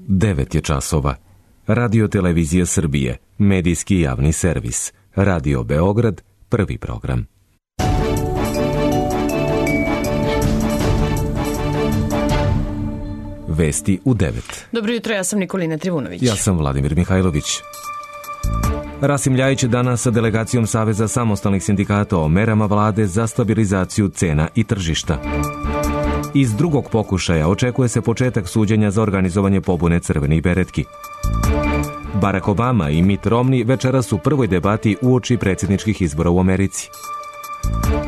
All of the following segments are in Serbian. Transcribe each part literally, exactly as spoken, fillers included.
devet je časova. Radio Televizija Srbije, medijski javni servis. Radio Beograd, prvi program. Vesti u devet. Dobro jutro, ja sam Nikolina Trivunović. Ja sam Vladimir Mihajlović. Rasim Ljajić danas sa delegacijom Saveza samostalnih sindikata o merama vlade za stabilizaciju cena i tržišta. Iz drugog pokušaja očekuje se početak suđenja za organizovanje pobune crvenih beretki. Barack Obama i Mitt Romney večeras u prvoj debati uoči predsjedničkih izbora u Americi.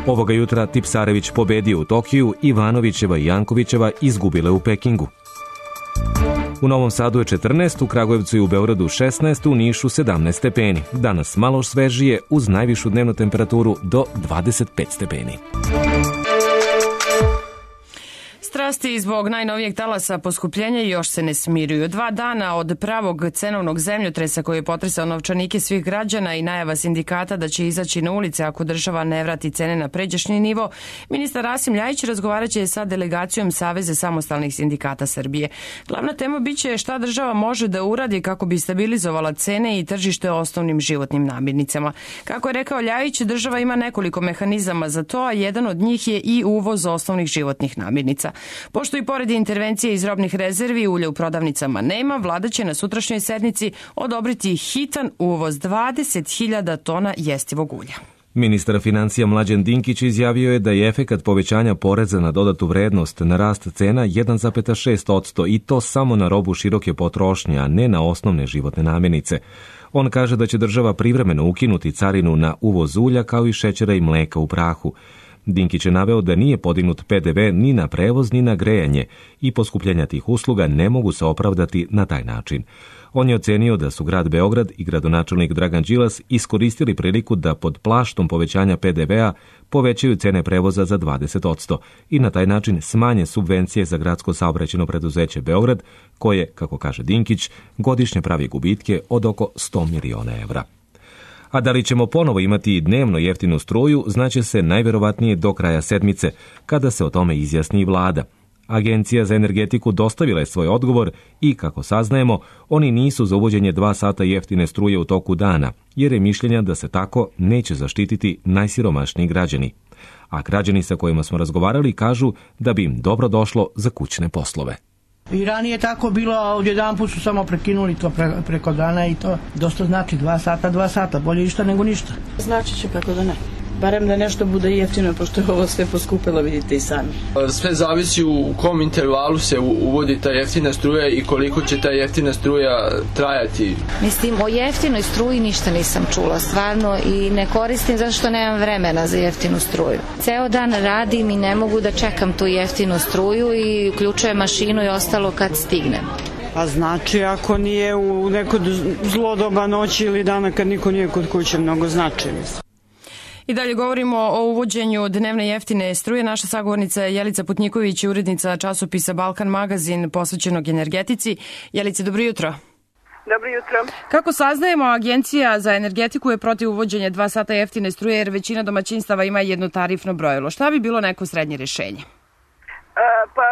Ovoga jutra Tipsarević pobedio u Tokiju, Ivanovićeva i Jankovićeva izgubile u Pekingu. U Novom Sadu je četrnaest, u Kragujevcu i u Beogradu šesnaest, u Nišu sedamnaest stepeni. Danas malo svežije uz najvišu dnevnu temperaturu do dvadeset pet stepeni. Strasti zbog najnovijeg talasa poskupljenja još se ne smiruju. Dva dana od pravog cenovnog zemljotresa koji je potresao novčanike svih građana i najava sindikata da će izaći na ulice ako država ne vrati cene na pređašnji nivo, ministar Rasim Ljajić razgovarat će sa delegacijom Saveza samostalnih sindikata Srbije. Glavna tema biće šta država može da uradi kako bi stabilizovala cene i tržište osnovnim životnim namirnicama. Kako je rekao Ljajić, država ima nekoliko mehanizama za to, a jedan od njih je i uvoz osnovnih životnih namirnica. Pošto i pored intervencije iz robnih rezervi ulja u prodavnicama nema, vlada će na sutrašnjoj sednici odobriti hitan uvoz dvadeset hiljada tona jestivog ulja. Ministar financija Mlađan Dinkić izjavio je da je efekat povećanja poreza na dodatu vrednost na rast cena jedan zarez šest posto i to samo na robu široke potrošnje, a ne na osnovne životne namirnice. On kaže da će država privremeno ukinuti carinu na uvoz ulja kao i šećera i mleka u prahu. Dinkić je naveo da nije podignut pe de ve ni na prevoz ni na grejanje i poskupljenja tih usluga ne mogu se opravdati na taj način. On je ocenio da su grad Beograd i gradonačelnik Dragan Đilas iskoristili priliku da pod plaštom povećanja pe de vea povećaju cene prevoza za dvadeset posto i na taj način smanje subvencije za gradsko saobraćajno preduzeće Beograd, koje, kako kaže Dinkić, godišnje pravi gubitke od oko sto miliona evra. A da li ćemo ponovo imati dnevno jeftinu struju, znaće se najverovatnije do kraja sedmice, kada se o tome izjasni i vlada. Agencija za energetiku dostavila je svoj odgovor i, kako saznajemo, oni nisu za uvođenje dva sata jeftine struje u toku dana, jer je mišljenja da se tako neće zaštititi najsiromašniji građani. A građani sa kojima smo razgovarali kažu da bi im dobro došlo za kućne poslove. I ranije tako bilo, a odjedan put su samo prekinuli to pre, preko dana i to dosta znači dva sata, dva sata, bolje išta nego ništa. Znači će kako da ne. Barem da nešto bude jeftino, pošto je ovo sve poskupilo, vidite i sami. Sve zavisi u kom intervalu se uvodi ta jeftina struja i koliko će ta jeftina struja trajati. Mislim, o jeftinoj struji ništa nisam čula, stvarno, i ne koristim zato što nemam vremena za jeftinu struju. Ceo dan radim i ne mogu da čekam tu jeftinu struju i uključujem mašinu i ostalo kad stignem. A znači, ako nije u neko zlo doba noći ili dana kad niko nije kod kuće, mnogo znači, mislim. I dalje govorimo o uvođenju dnevne jeftine struje. Naša sagovornica je Jelica Putnjiković, urednica časopisa Balkan magazin posvećenog energetici. Jelice, dobro jutro. Dobro jutro. Kako saznajemo, Agencija za energetiku je protiv uvođenja dva sata jeftine struje jer većina domaćinstava ima jedno tarifno brojilo. Šta bi bilo neko srednje rješenje? Pa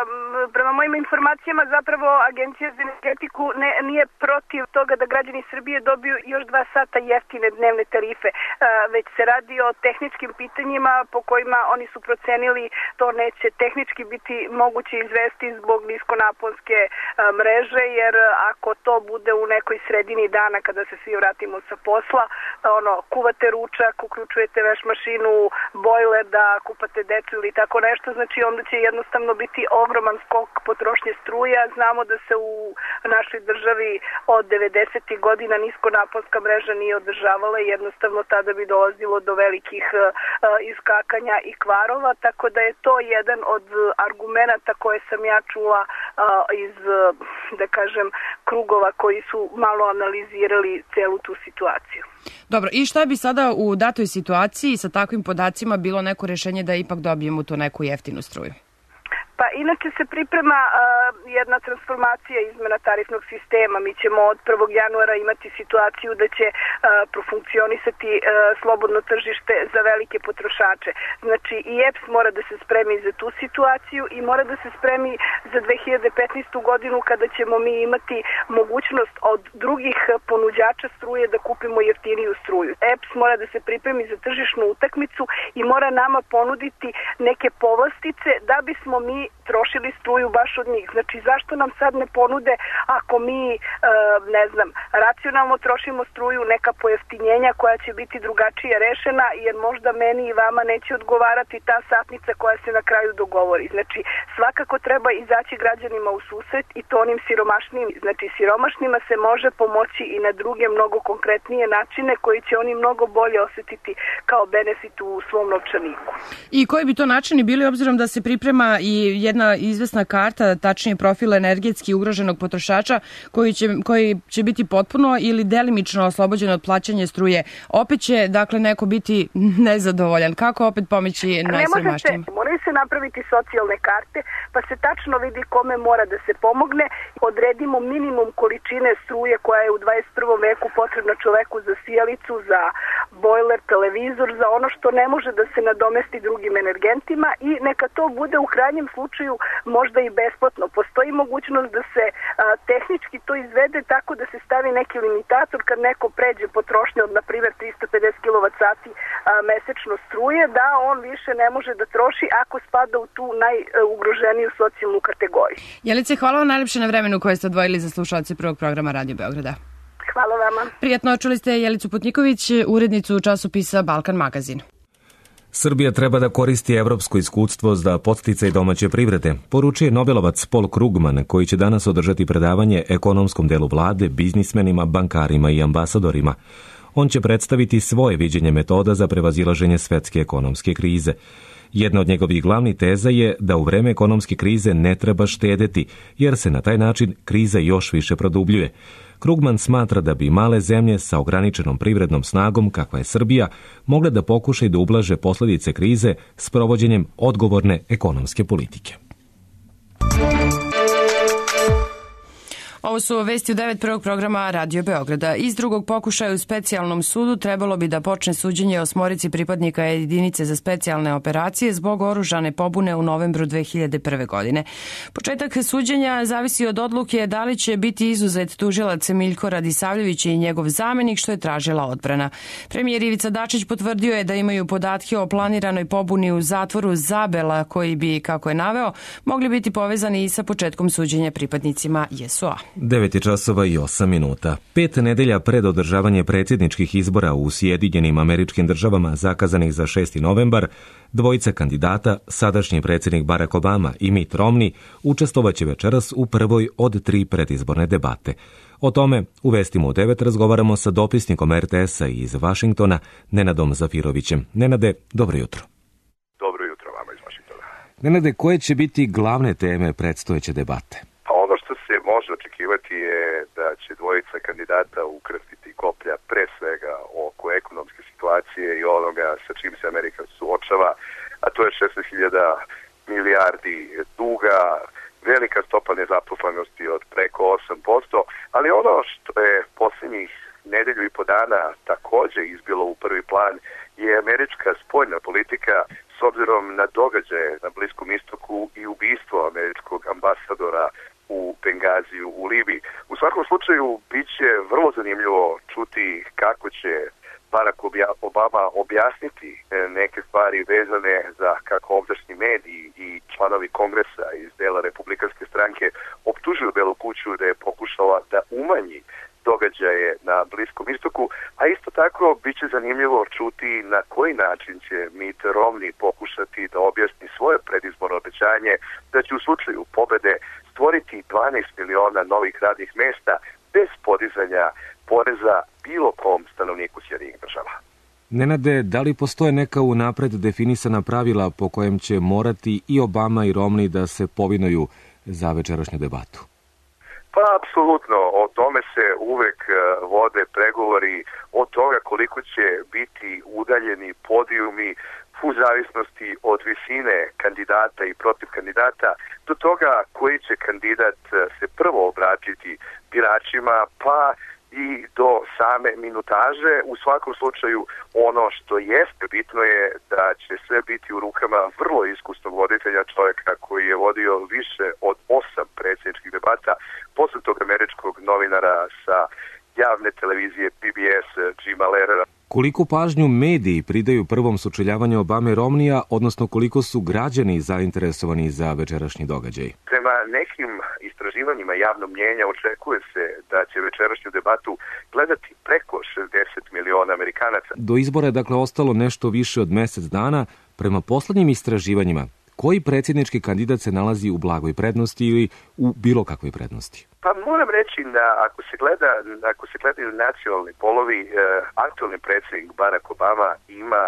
prema mojim informacijama zapravo Agencija za energetiku ne, nije protiv toga da građani Srbije dobiju još dva sata jeftine dnevne tarife, već se radi o tehničkim pitanjima po kojima oni su procenili to neće tehnički biti moguće izvesti zbog niskonaponske mreže, jer ako to bude u nekoj sredini dana kada se svi vratimo sa posla, ono, kuvate ručak, uključujete veš mašinu, bojler da kupate decu ili tako nešto, znači onda će jednostavno biti ogroman skok potrošnje struje. Znamo da se u našoj državi od devedesetih godina niskonaponska mreža nije održavala i jednostavno tada bi dolazilo do velikih uh, iskakanja i kvarova, tako da je to jedan od argumenata koje sam ja čula uh, iz, uh, da kažem, krugova koji su malo analizirali celu tu situaciju. Dobro, i šta bi sada u datoj situaciji sa takvim podacima bilo neko rješenje da ipak dobijemo tu neku jeftinu struju? Pa inače se priprema uh, jedna transformacija izmena tarifnog sistema. Mi ćemo od prvog januara imati situaciju da će uh, profunkcionisati uh, slobodno tržište za velike potrošače. Znači i E P S mora da se spremi za tu situaciju i mora da se spremi za dve hiljade petnaestu godinu kada ćemo mi imati mogućnost od drugih ponuđača struje da kupimo jeftiniju struju. E P S mora da se pripremi za tržišnu utakmicu i mora nama ponuditi neke povlastice da bismo mi trošili struju baš od njih. Znači zašto nam sad ne ponude ako mi, e, ne znam, racionalno trošimo struju, neka pojeftinjenja koja će biti drugačije rešena, jer možda meni i vama neće odgovarati ta satnica koja se na kraju dogovori. Znači svakako treba izaći građanima u susret i to onim siromašnim. Znači siromašnima se može pomoći i na druge mnogo konkretnije načine koji će oni mnogo bolje osetiti kao benefit u svom novčaniku. I koji bi to načini bili, obzirom da se priprema i jedna izvesna karta, tačnije profil energetski ugroženog potrošača koji će, koji će biti potpuno ili delimično oslobođen od plaćanja struje. Opet će, dakle, neko biti nezadovoljan. Kako opet pomoći najsiromašnijima? Moraju se napraviti socijalne karte, pa se tačno vidi kome mora da se pomogne. Odredimo minimum količine struje koja je u dvadeset prvom veku potrebna čoveku za sijalicu, za bojler, televizor, za ono što ne može da se nadomesti drugim energentima i neka to bude u krajnjem slučaju možda i besplatno. Postoji mogućnost da se a, tehnički to izvede tako da se stavi neki limitator kad neko pređe potrošnje od, na primjer, trista pedeset kilovat sati a, mesečno struje, da on više ne može da troši ako spada u tu najugroženiju socijalnu kategoriju. Jelice, hvala vam najlepše na vremenu koje ste odvojili za slušalce prvog programa Radio Beograda. Hvala vama. Prijatno, čuli ste Jelicu Putniković, urednicu časopisa Balkan magazin. Srbija treba da koristi evropsko iskustvo za podsticaj domaće privrede, poručuje Nobelovac Paul Krugman, koji će danas održati predavanje ekonomskom delu vlade, biznismenima, bankarima i ambasadorima. On će predstaviti svoje viđenje metoda za prevazilaženje svetske ekonomske krize. Jedna od njegovih glavnih teza je da u vreme ekonomske krize ne treba štedeti, jer se na taj način kriza još više produbljuje. Krugman smatra da bi male zemlje sa ograničenom privrednom snagom, kakva je Srbija, mogle da pokušaju da ublaže posljedice krize s provođenjem odgovorne ekonomske politike. Ovo su vesti u devet prvog programa Radio Beograda. Iz drugog pokušaja u specijalnom sudu trebalo bi da počne suđenje osmorici pripadnika jedinice za specijalne operacije zbog oružane pobune u novembru dve hiljade prve. godine. Početak suđenja zavisi od odluke da li će biti izuzet tužilac Miljko Radisavljević i njegov zamenik, što je tražila odbrana. Premijer Ivica Dačić potvrdio je da imaju podatke o planiranoj pobuni u zatvoru Zabela koji bi, kako je naveo, mogli biti povezani i sa početkom suđenja pripadnicima J S O A. devet časova i osam minuta. Pet nedelja pred održavanje predsjedničkih izbora u Sjedinjenim Američkim Državama zakazanih za šesti novembar, dvojica kandidata, sadašnji predsjednik Barack Obama i Mitt Romney, učestvovaće večeras u prvoj od tri predizborne debate. O tome u vestima u devet razgovaramo sa dopisnikom R T S-a iz Vašingtona, Nenadom Zafirovićem. Nenade, dobro jutro. Dobro jutro vama iz Vašingtona. Nenade, koje će biti glavne teme predstojeće debate? Ono što se može očekivati je da će dvojica kandidata ukrstiti koplja pre svega oko ekonomske situacije i onoga sa čim se Amerika suočava, a to je šesnaest hiljada milijardi duga, velika stopa nezaposlenosti od preko osam posto, ali ono što je posljednjih nedelju i po dana također izbilo u prvi plan je američka spoljna politika s obzirom na događaje na Bliskom istoku i ubistvo američkog ambasadora u Bengaziju u Libiji. U svakom slučaju bit će vrlo zanimljivo čuti kako će Barack Obama objasniti neke stvari vezane za kako ovdašnji mediji i članovi kongresa iz dela republikanske stranke optužuju Belu kuću da je pokušala da umanji događaje na Bliskom istoku, a isto tako bit će zanimljivo čuti na koji način će Mitt Romney pokušati da objasni svoje predizborno obećanje da će u slučaju pobede stvoriti dvanaest miliona novih radnih mesta bez podizanja poreza bilo kom stanovniku Sjedinjenih Država. Nenade, da li postoje neka unapred definisana pravila po kojem će morati i Obama i Romney da se povinuju za večerašnju debatu? Pa, apsolutno. O tome se uvek vode pregovori, od toga koliko će biti udaljeni podijumi, u zavisnosti od visine kandidata i protiv kandidata, do toga koji će kandidat se prvo obratiti biračima, pa i do same minutaže. U svakom slučaju ono što jeste bitno je da će sve biti u rukama vrlo iskusnog voditelja, čovjeka koji je vodio više od osam predsjedničkih debata, posle tog američkog novinara sa javne televizije P B S Jima Lehrera. Koliko pažnju mediji pridaju prvom sučeljavanju Obame i Romneya, odnosno koliko su građani zainteresovani za večerašnji događaj? Prema nekim istraživanjima javnog mnjenja očekuje se da će večerašnju debatu gledati preko šezdeset miliona Amerikanaca. Do izbora je dakle ostalo nešto više od mjesec dana. Prema poslednjim istraživanjima, koji predsjednički kandidat se nalazi u blagoj prednosti ili u bilo kakvoj prednosti? Pa moram reći da ako se gleda, ako se gledaju nacionalni polovi, eh, aktualni predsjednik Barack Obama ima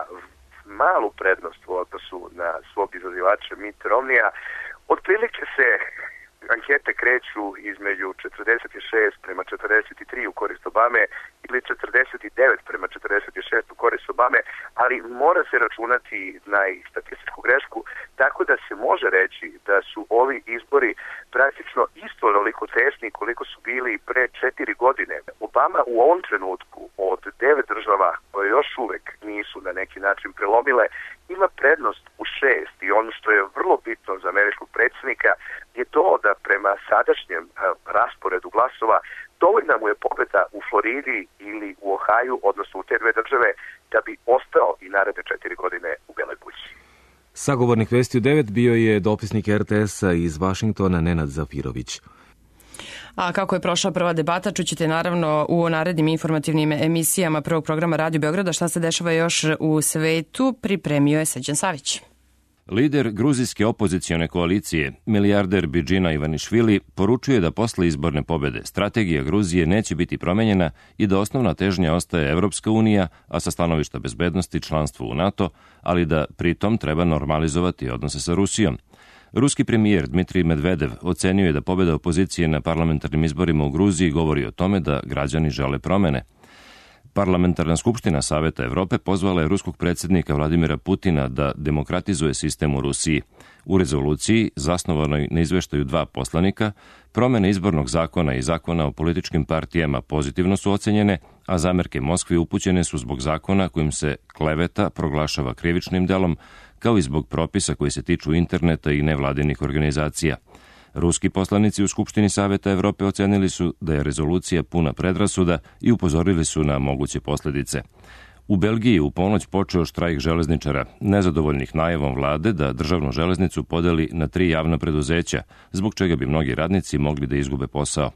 malu prednost u odnosu na svog izazivača Mitt Romneya. Otprilike se ankete kreću između četrdeset šest prema četrdeset tri u korist Obame ili četrdeset devet prema četrdeset šest u korist Obame, ali mora se računati na statističku grešku, tako da se može reći da su ovi izbori praktično isto onoliko tesni koliko su bili pre četiri godine. Obama u ovom trenutku od devet država koje još uvek nisu na neki način prelomile, ima prednost u šest i ono što je vrlo bitno za američkog predsjednika je to da prema sadašnjem rasporedu glasova dovoljna mu je pobeda u Floridi ili u Ohaju, odnosno u te dve države, da bi ostao i naredne četiri godine u Beloj kući. Sagovornik Vesti u devet bio je dopisnik R T S-a iz Vašingtona Nenad Zafirović. A kako je prošla prva debata, čućete naravno u narednim informativnim emisijama prvog programa Radio Beograda. Šta se dešava još u svetu, pripremio je Srđan Savić. Lider gruzijske opozicione koalicije, milijarder Bidžina Ivanišvili, poručuje da posle izborne pobede strategija Gruzije neće biti promenjena i da osnovna težnja ostaje Evropska unija, a sa stanovišta bezbednosti članstvo u NATO, ali da pritom treba normalizovati odnose sa Rusijom. Ruski premijer Dmitrij Medvedev ocenio je da pobeda opozicije na parlamentarnim izborima u Gruziji govori o tome da građani žele promene. Parlamentarna skupština Saveta Evrope pozvala je ruskog predsjednika Vladimira Putina da demokratizuje sistem u Rusiji. U rezoluciji, zasnovanoj na izveštaju dva poslanika, promene izbornog zakona i zakona o političkim partijama pozitivno su ocenjene, a zamerke Moskvi upućene su zbog zakona kojim se kleveta proglašava krivičnim delom, kao i zbog propisa koji se tiču interneta i nevladinih organizacija. Ruski poslanici u Skupštini Saveta Evrope ocenili su da je rezolucija puna predrasuda i upozorili su na moguće posljedice. U Belgiji u ponoć počeo štrajk železničara, nezadovoljnih najavom vlade da državnu železnicu podeli na tri javna preduzeća, zbog čega bi mnogi radnici mogli da izgube posao.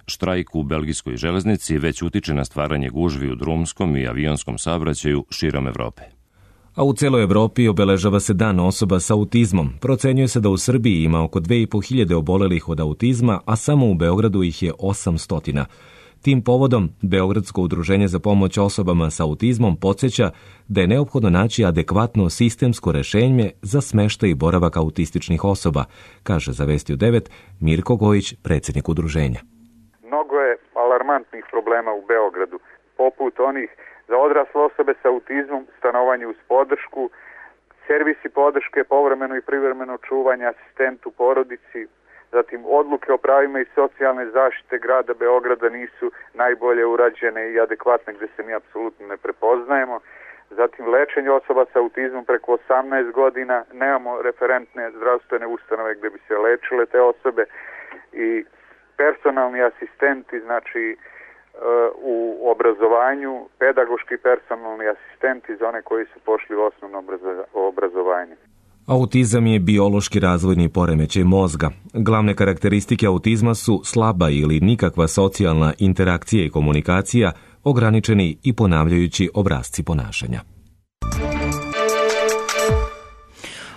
Štrajk u belgijskoj železnici već utiče na stvaranje gužvi u drumskom i avionskom saobraćaju širom Evrope. A u celoj Evropi obeležava se dan osoba sa autizmom. Procenjuje se da u Srbiji ima oko dve i po hiljade obolelih od autizma, a samo u Beogradu ih je osamsto. Tim povodom, Beogradsko udruženje za pomoć osobama sa autizmom podsjeća da je neophodno naći adekvatno sistemsko rešenje za smeštaj i boravak autističnih osoba, kaže za Vesti u devet Mirko Gojić, predsjednik udruženja. Mnogo je alarmantnih problema u Beogradu, poput onih za odrasle osobe sa autizmom, stanovanje uz podršku, servisi podrške, povremeno i privremeno čuvanje, asistent u porodici, zatim odluke o pravima i socijalne zaštite grada Beograda nisu najbolje urađene i adekvatne gde se mi apsolutno ne prepoznajemo. Zatim lečenje osoba sa autizmom preko osamnaest godina, nemamo referentne zdravstvene ustanove gde bi se lečile te osobe i personalni asistenti, znači u obrazovanju, pedagoški personalni asistenti za one koji su pošli u osnovno obrazovanje. Autizam je biološki razvojni poremećaj mozga. Glavne karakteristike autizma su slaba ili nikakva socijalna interakcija i komunikacija, ograničeni i ponavljajući obrasci ponašanja.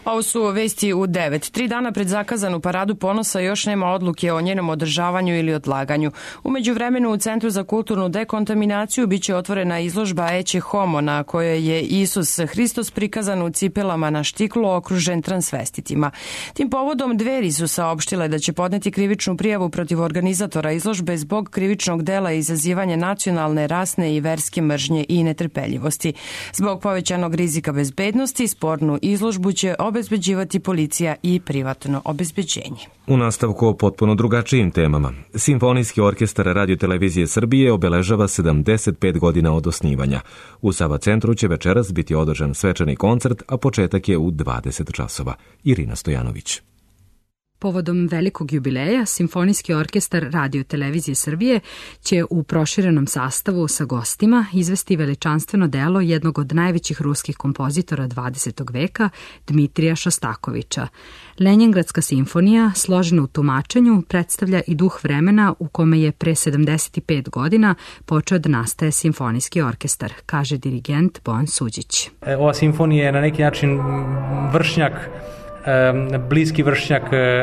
Ovo su vesti u devet. Tri dana pred zakazanu paradu ponosa još nema odluke o njenom održavanju ili odlaganju. U međuvremenu u Centru za kulturnu dekontaminaciju biće otvorena izložba Ecce Homo na kojoj je Isus Hristos prikazan u cipelama na štiklu okružen transvestitima. Tim povodom Dveri su saopštile da će podneti krivičnu prijavu protiv organizatora izložbe zbog krivičnog dela izazivanja nacionalne, rasne i verske mržnje i netrpeljivosti. Zbog povećanog rizika bezbednosti spornu izložbu će obezbeđivati policija i privatno obezbeđenje. U nastavku o potpuno drugačijim temama. Simfonijski orkestar Radio Televizije Srbije obeležava sedamdeset pet godina od osnivanja. U Sava centru će večeras biti održan svečani koncert, a početak je u dvadeset časova. Irina Stojanović. Povodom velikog jubileja, Simfonijski orkestar Radio Televizije Srbije će u proširenom sastavu sa gostima izvesti veličanstveno delo jednog od najvećih ruskih kompozitora dvadesetog veka, Dmitrija Šostakovića. Lenjingradska simfonija, složena u tumačenju, predstavlja i duh vremena u kome je pre sedamdeset pet godina počeo da nastaje Simfonijski orkestar, kaže dirigent Bojan Suđić. Ova simfonija je na neki način vršnjak bliski vršnjak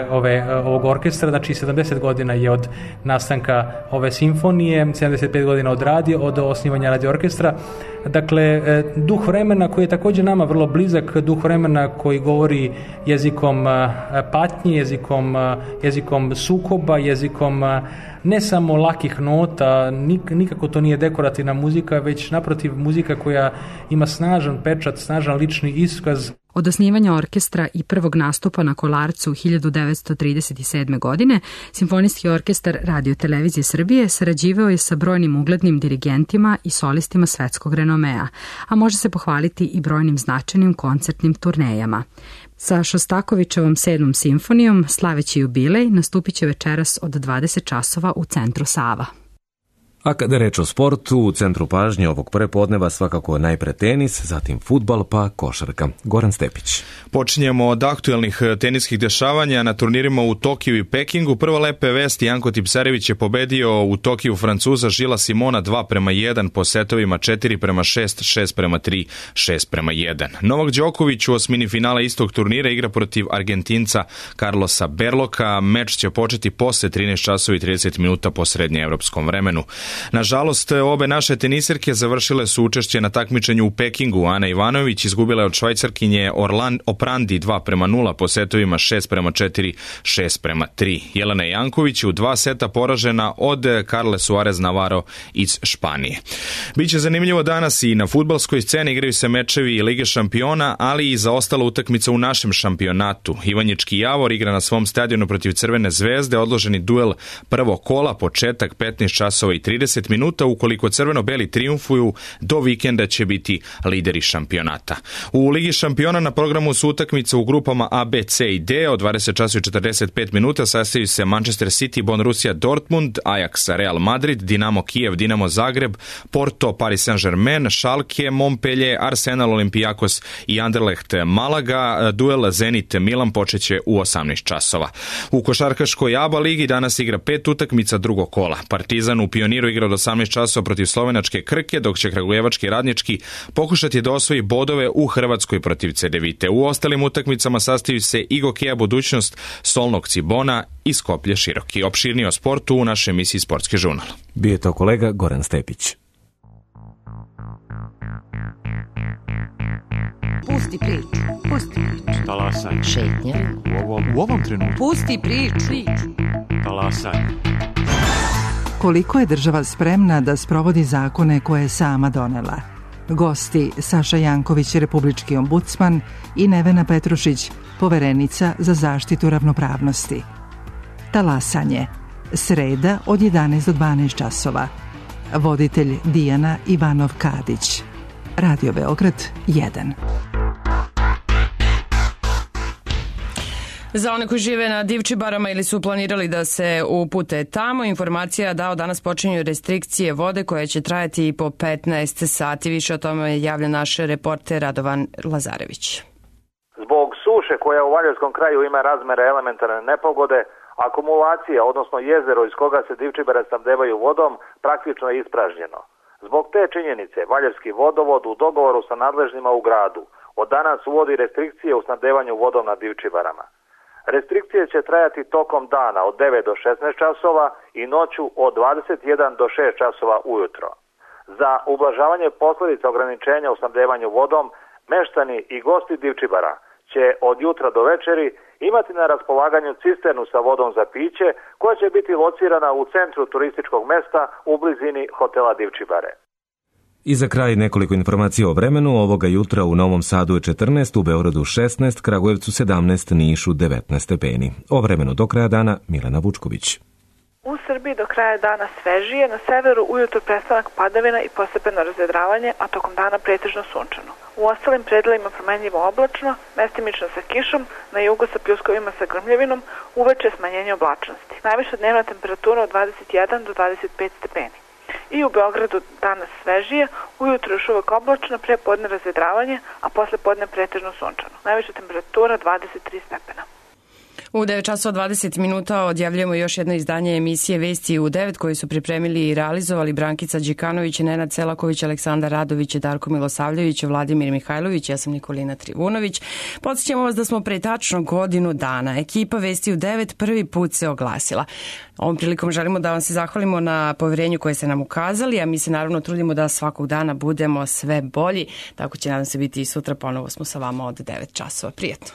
ove, ovog orkestra, znači sedamdeset godina je od nastanka ove simfonije, sedamdeset pet godina od radio, od osnivanja radio orkestra. Dakle, duh vremena koji je također nama vrlo blizak, duh vremena koji govori jezikom patnje, jezikom, jezikom sukoba, jezikom ne samo lakih nota, nikako to nije dekorativna muzika, već naprotiv muzika koja ima snažan pečat, snažan lični iskaz. Od osnivanja orkestra i prvog nastupa na Kolarcu hiljadu devetsto trideset sedme. godine, Simfonijski orkestar Radio Televizije Srbije sarađivao je sa brojnim uglednim dirigentima i solistima svetskog renomea, a može se pohvaliti i brojnim značajnim koncertnim turnejama. Sa Šostakovićevom sedmom simfonijom, slaveći jubilej, nastupit će večeras od dvadeset časova u Centru Sava. A kada je reč o sportu, u centru pažnje ovog prepodneva svakako najpre tenis, zatim fudbal pa košarka. Goran Stepić. Počinjemo od aktuelnih teniskih dešavanja na turnirima u Tokiju i Pekingu. Prva lepe vesti, Janko Tipsarević je pobedio u Tokiju Francuza Žila Simona dva prema jedan po setovima četiri prema šest, šest prema tri, šest prema jedan. Novak Đoković u osmini finala istog turnira igra protiv Argentinca Carlosa Berloka. Meč će početi posle trinaest časova i trideset minuta po srednjeevropskom vremenu. Nažalost, obe naše tenisirke završile su učešće na takmičenju u Pekingu. Ana Ivanović izgubila je od Švajcarkinje Orlan Oprandi dva prema nula po setovima šest prema četiri, šest prema tri. Jelena Janković u dva seta poražena od Carle Suarez Navarro iz Španije. Biće zanimljivo danas i na fudbalskoj sceni, igraju se mečevi Lige šampiona, ali i za ostala utakmica u našem šampionatu. Ivanjički Javor igra na svom stadionu protiv Crvene zvezde, odloženi duel prvog kola, početak petnaest časova i trideset minuta. Ukoliko crveno-beli triumfuju, do vikenda će biti lideri šampionata. U Ligi šampiona na programu su utakmice u grupama A, B, C i D. Od dvadeset časova i četrdeset pet minuta sastaju se Manchester City, Borussia Dortmund, Ajax, Real Madrid, Dinamo Kijev, Dinamo Zagreb, Porto, Paris Saint-Germain, Schalke, Montpellier, Arsenal, Olympiakos i Anderlecht Malaga. Duel Zenit Milan počeće u osamnaest časova. U košarkaškoj A B A ligi danas igra pet utakmica drugog kola. Partizan u Pioniru igra od osamnaest časova protiv slovenačke Krke, dok će kragujevački Radnički pokušati da osvoji bodove u Hrvatskoj protiv Cedevite. U ostalim utakmicama sastaju se i Gokeja Budućnost, Solnog Cibona i Skoplje Široki. Opširnije o sportu u našoj emisiji Sportski žurnal. Bio je to kolega Goran Stepić. Pusti priču, pusti priču. Talasaj. Šetnja. U ovom, u ovom trenutku. Pusti priču. Talasaj. Koliko je država spremna da sprovodi zakone koje je sama donela? Gosti Saša Janković, republički ombudsman, i Nevena Petrušić, poverenica za zaštitu ravnopravnosti. Talasanje. Sreda od jedanaest do dvanaest časova. Voditelj Dijana Ivanov-Kadić. Radio Beograd jedan. Za one koji žive na Divčibarama ili su planirali da se upute tamo, informacija da od danas počinju restrikcije vode koje će trajati i po petnaest sati. Više o tome javlja naš reporter Radovan Lazarević. Zbog suše koja u Valjevskom kraju ima razmere elementarne nepogode, akumulacija, odnosno jezero iz koga se Divčibare snabdevaju vodom, praktično je ispražnjeno. Zbog te činjenice, Valjevski vodovod u dogovoru sa nadležnima u gradu od danas uvodi restrikcije u snabdevanju vodom na Divčibarama. Restrikcije će trajati tokom dana od devet do šesnaest časova i noću od dvadeset jedan do šest časova ujutro. Za ublažavanje posljedica ograničenja u snabdevanju vodom, meštani i gosti Divčibara će od jutra do večeri imati na raspolaganju cisternu sa vodom za piće koja će biti locirana u centru turističkog mesta u blizini hotela Divčibare. I za kraj nekoliko informacija o vremenu. Ovoga jutra u Novom Sadu je četrnaest, u Beogradu šesnaest, Kragujevcu sedamnaest, Nišu devetnaest stepeni. O vremenu do kraja dana Milena Vučković. U Srbiji do kraja dana svežije, na severu ujutro prestanak padavina i postepeno razvedravanje, a tokom dana pretežno sunčano. U ostalim predelima promenljivo oblačno, mestimično sa kišom, na jugu sa pljuskovima sa grmljavinom, uveče smanjenje oblačnosti. Najviša dnevna temperatura od dvadeset jedan do dvadeset pet stepeni. I u Beogradu danas svežije, ujutro još uvek oblačno, pre podne razvedravanje, a posle podne pretežno sunčano. Najviša temperatura dvadeset tri stepena. U devet časova dvadeset minuta odjavljujemo još jedno izdanje emisije Vesti u devet koje su pripremili i realizovali Brankica Đikanović, Nenad Selaković, Aleksandar Radović, Darko Milosavljević, Vladimir Mihajlović, ja sam Nikolina Trivunović. Podsjećamo vas da smo pre tačno godinu dana ekipa Vesti u devet prvi put se oglasila. Ovom prilikom želimo da vam se zahvalimo na poverenju koje ste nam ukazali, a mi se naravno trudimo da svakog dana budemo sve bolji. Tako će nadam se biti i sutra, ponovo smo sa vama od devet časova. Prijetno.